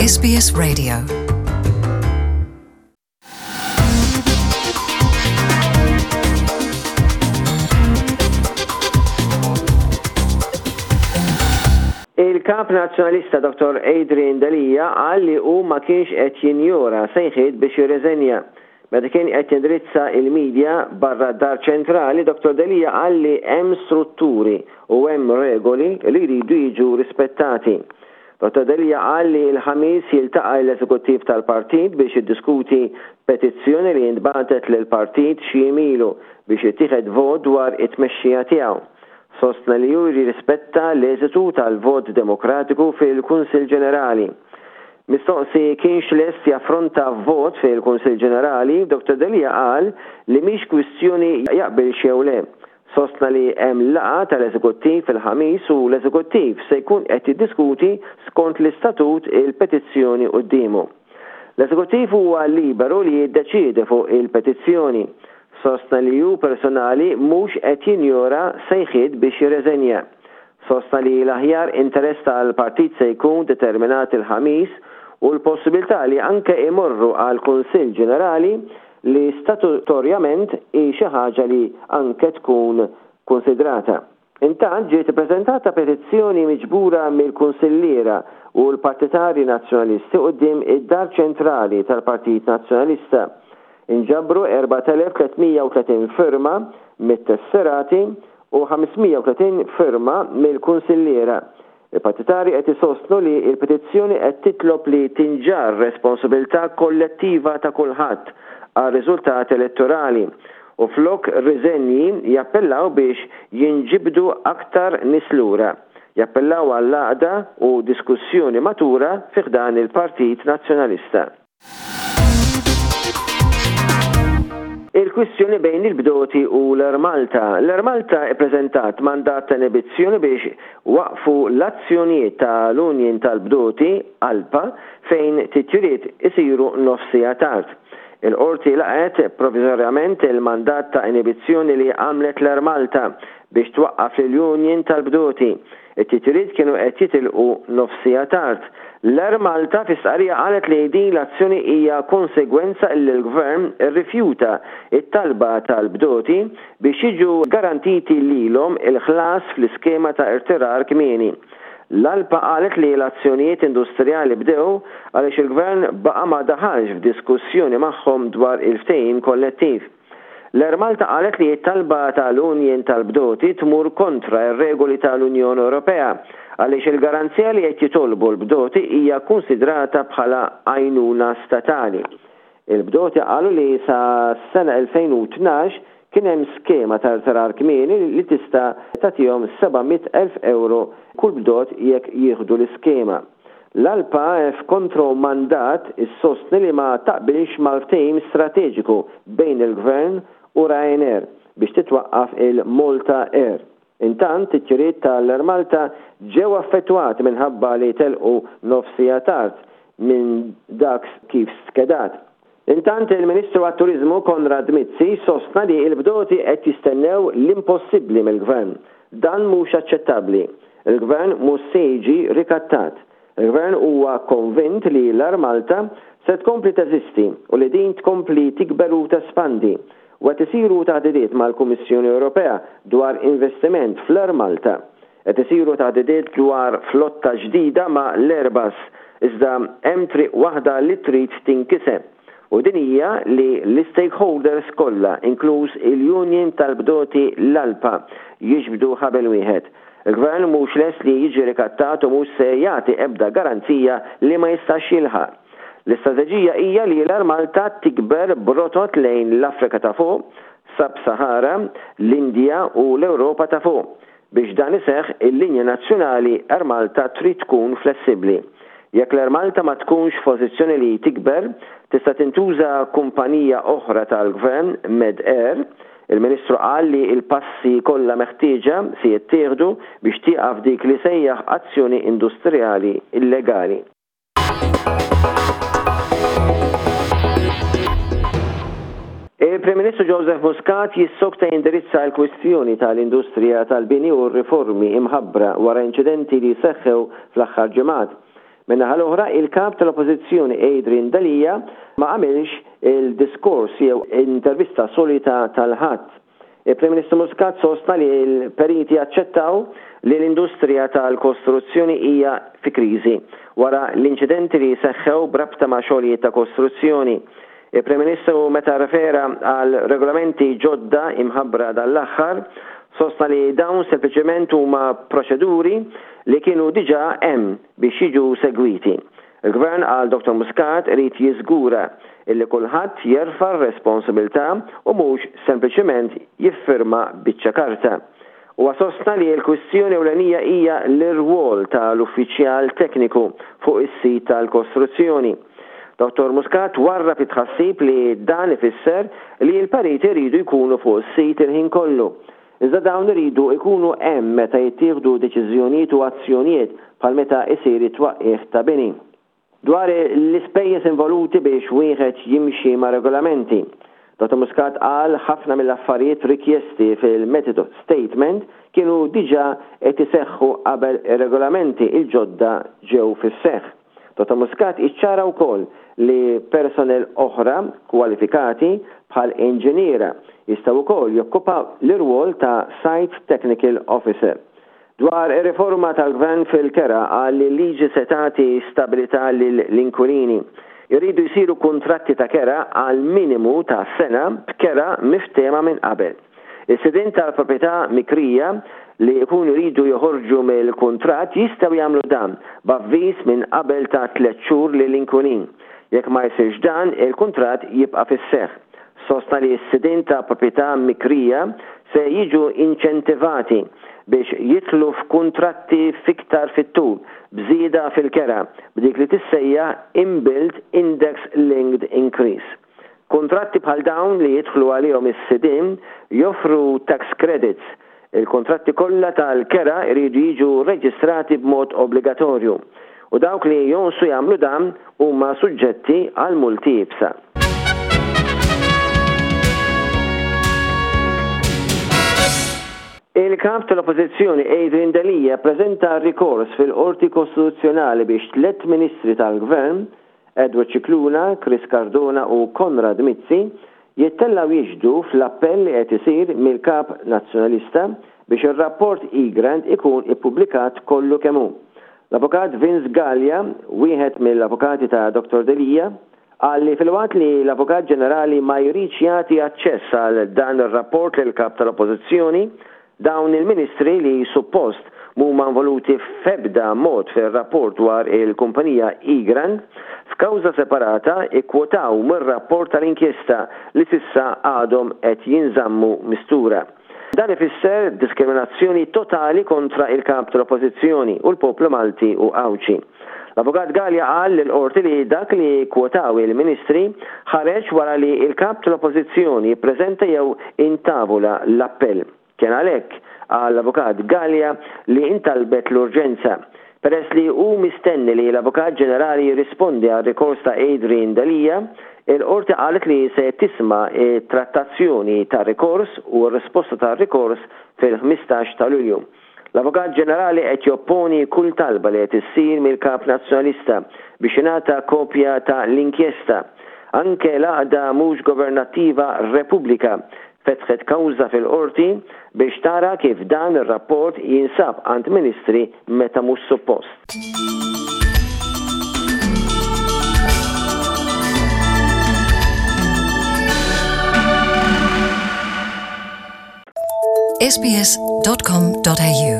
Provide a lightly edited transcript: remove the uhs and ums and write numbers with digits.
SBS Radio. Il-Kap Nazzjonalista Dr. Adrian Delia qal li hu ma kienx qed jinjora sejħiet biex jirriżenja. Meta kien qed jindirizza il-media barra d-Dar Ċentrali, Dottor Delia qal li hemm strutturi u hemm regoli li jridu jiġu rispettati. Dottor Delia qal li l-Ħamis jiltaqa' l-Eżekuttiv tal-Partit biex jiddiskuti petizzjoni li intbagħtet lill-Partit xi jiem ilu biex jittieħed vot dwar it-tmexxija tiegħu. Sostna li hu jirrispetta l-eżitu tal-vot demokratiku fil-Kunsill Ġenerali. Mistoqsi kienx lest jaffronta vot fil-Kunsill Ġenerali, Dottor Delia qal li mhix kwistjoni jaqbilx jew le. Sostna li hemm laqgħa tal-Eżekuttiv il-Ħamis u l-Eżekuttiv se jkun qed jiddiskuti skont l-istatut il-petizzjoni quddiemu. L-Eżekuttiv huwa liberu li jiddeċiedi fuq il-petizzjoni. Sostna li hu personali mhux qed jinjora sejħiet biex jirreżenja. Sostna li l-aħjar interess tal-partit se jkun determinat il-Ħamis u l-possibilità li anke imorru għal Kunsill Ġenerali li statutorjament hi xi ħaġa li anke tkun kunsidrata. Intant ġiet ippreżentata petizzjoni miġbura mill-kunsilliera u l-partitarji Nazzjonalisti quddiem id-Dar Ċentrali tal-Partit Nazzjonalista. Inġabru 4,330 firma mit-tesserati u 530 firma mill-kunsilliera. Il-partitarji qed isostnu li l-petizzjoni qed titlob li tinġarr responsabilità kollettiva ta' kulħadd għar-riżultat elettorali u flok riżenji jappellaw biex jinġibdu aktar nies lura. Jappellaw għall-għaqda u diskussjoni matura fi ħdan il-Partit Nazzjonalista. Il-kwistjoni bejn il-bdoti u l-Air Malta. L-Air Malta ippreżentat mandat ta' inibizzjoni biex waqfu l-azzjonijiet ta' l-Union tal-Bdoti, ALPA, fejn titjiriet isiru nofs siegħa tard. Il-Qorti laqgħet provviżorjament il-mandat ta' inibizzjoni li għamlet l-Air Malta biex twaqqaf lill-Union tal-Bdoti. It-titjiriet kienu qed jitilqu nofs siegħa tard. L-Air Malta fi stqarrija qalet li din l-azzjoni hija konsegwenza illi l-Gvern irrifjuta t-talba tal-bdoti biex jiġu garantiti lilhom il-ħlas fl-iskema ta' irtirar kmieni. L-ALPA qalet li l-azzjonijiet industrijali bdew għaliex il-Gvern baqa' ma daħalx f'diskussjoni magħhom dwar il-ftehim kollettiv. L-Air Malta qalet li t-talba tal-Union tal-Bdoti tmur kontra r-regoli tal-Unjoni Ewropea għaliex il-garanzija li qed jitolbu l-bdoti hija kkunsidrata bħala għajnuna statali. Il-bdoti qalu li sas-sena 2012 kien hemm skema ta' rtirar kmieni li tista' tagħtihom 700,000 ewro kull bdot jekk jieħdu l-iskema. L-ALPA f'kontro mandat issostni li ma taqbilx mal-ftehim strateġiku bejn il-Gvern u Ryanair biex titwaqqaf il-Malta Air. Intant, titjiriet tal-Air Malta ġew affettwati minħabba li telqu nofs siegħa tard minn dak kif skedat. Intant, il-Ministru għat-Turiżmu Konrad Mizzi sostna li l-bdoti qed jistennew l-impossibbli mill-Gvern. Dan mhux aċċettabbli. Il-Gvern mhux se jiġi rikattat. Il-Gvern huwa konvint li l-Air Malta se tkompli teżisti u li din tkompli tikber u tespandi. U qed isiru taħdidiet mal-Kummissjoni Ewropea dwar investiment fl-Air Malta. Qed isiru taħdidiet dwar flotta ġdida ma' l-Airbus, iżda hemm triq waħda li trid tinkiseb, u din hija li l-istakeholders kollha, inkluż il-union tal-bdoti l-ALPA, jiġbdu ħabel wieħed. Il-Gvern mhux lest li jiġi rikattat u mhux se jagħti ebda garanzija li ma jistax jilħaq. L-istrateġija hija li l-Air Malta tikber b'rotot lejn l-Afrika ta' Fuq, Sub-Sahara, l-Indja u l-Ewropa ta' Fuq. Biex dan iseħħ, il-linja nazzjonali Air Malta trid tkun flessibbli. Jekk l-Air Malta ma tkunx f'pożizzjoni li tikber, tista' tintuża kumpanija oħra tal-Gvern, Med Air. Il-Ministru qal li l-passi kollha meħtieġa se jittieħdu biex tieqaf dik li sejjaħ azzjoni industrijali illegali. Il-Prim Ministru Joseph Muscat jissokta jindirizza l-kwistjoni tal-industrija tal-bini u r-riformi imħabbra wara inċidenti li seħħew fl-aħħar ġimgħat. Min-naħa l-oħra, il-Kap tal-Oppożizzjoni Adrian Delia ma għamilx il-diskors jew intervista solita tal-Ħadd. Il-Prim Ministru Muscat sostna li l-periti aċċettaw li l-industrija tal-kostruzzjoni hija fi kriżi wara l-inċidenti li seħħew b'rabta ma' xogħlijiet ta' kostruzzjoni. Il-Prim Ministru meta rrefera għal regolamenti ġodda imħabbra dan l-aħħar, sostna li dawn sempliċement huma proċeduri li kienu diġà hemm biex jiġu segwiti. Il-Gvern, qal Dottor Muscat, irid jiżgura illi kulħadd jerfa' r-responsabilità u mhux sempliċement jiffirma biċċa karta. Huwa sostna li l-kwistjoni ewlenija hija l-irwol ta' l-uffiċjal tekniku fuq is-sit tal-kostruzzjoni. Dottor Muscat warrab it-tħassib li dan ifisser li l-periti jridu jkunu fuq is-sit il-ħin kollu. Iżda dawn iridu jkunu hemm meta jittieħdu deċiżjonijiet u azzjonijiet bħal meta isir it-twaqqigħ ta' bini. Dwar l-ispejjeż involuti biex wieħed jimxi mar-regolamenti, Dottor Muscat qal ħafna mill-affarijiet rikjesti fil-method statement kienu diġà qed iseħħu qabel ir-regolamenti l-ġodda ġew fis-seħħ. Dottor Muscat iċċara wkoll li personnel oħra kwalifikati bħal inġiniera jistgħu wkoll jokkupaw l-irwol ta' Site Technical Officer. Dwar ir-riforma tal-Gvern fil-kera qal li l-liġi se tagħti stabilità lill-inkwilini. Iridu jsiru kuntratti ta' kera għal minimu ta' sena b'kera miftehma minn qabel. Is-sidien tal-proprjetà mikrija li jkunu jridu joħorġu mill-kuntratt jistgħu jagħmlu dan b'avviż minn qabel ta' tlett xhur lill-inkwilin. Jekk ma jsirx dan, il-kuntratt jibqa' fis-seħħ. Sostna li s-sidien ta' proprjetà mikrija se jiġu inċentivati biex jidħlu f'kuntratti f'iktar fit-tul b'żieda fil-kera b'dik li tissejjaħ inbuilt index linked increase. Kuntratti bħal dawn li jidħlu għalihom is-sidien joffru tax credits. Il-kuntratti kollha tal-kera jridu jiġu rreġistrati b'mod obbligatorju u dawk li jonqsu jagħmlu dan huma suġġetti għal multi iebsa. Il-Kap tal-Oppożizzjoni Adrian Delia ppreżenta rikors fil-Qorti Kostituzzjonali biex tlett Ministri tal-Gvern Edward Scicluna, Chris Cardona u Konrad Mizzi jittellgħu jixhdu fl-appell li qed isir mill-Kap Nazzjonalista biex ir-rapport Egrant ikun ippubblikat kollu kemm hu. L-Avukat Vince Galea, wieħed mill-avukati ta' Dottor Delia, qal li filwaqt li l-Avukat Ġenerali ma jridx jagħti aċċess għal dan ir-rapport lill-Kap tal-Oppożizzjoni, Dawn il-Ministri li suppost m'huma involuti f'ebda mod fir-rapport dwar il-kumpanija Egrant, f'kawża separata ikkwotaw mir-rapport tal-inkjesta li s'issa għadhom qed jinżammu mistura. Dan ifisser diskriminazzjoni totali kontra il-Kap tal-Oppożizzjoni u l-poplu Malti u Għawdxi. L-Avukat Galea qal lill-Qorti li dak li kkwotaw il-Ministri ħareġ wara li l-Kap tal-Oppożizzjoni ppreżenta jew intavola l-appell. Kien għalhekk, qal l-Avukat Galea, li intalbet l-urġenza. Peress li hu mistenni li l-Avukat Ġenerali jirrispondi għar-rikors ta' Adrian Delia, il-Qorti qalet li se tisma' t-trattazzjoni tar-rikors u r-risposta tar-rikors fil-15 ta' Lulju. L-Avukat Ġenerali qed jopponi kull talba li qed issir mill-Kap Nazzjonalista biex jingħata kopja ta' l-inkjesta. Anke l-għaqda mhux governattiva Repubblika fetħet kawża fil-Qorti biex tara kif dan ir-rapport jinsab għand Ministri meta mhux suppost. sbs.com.au.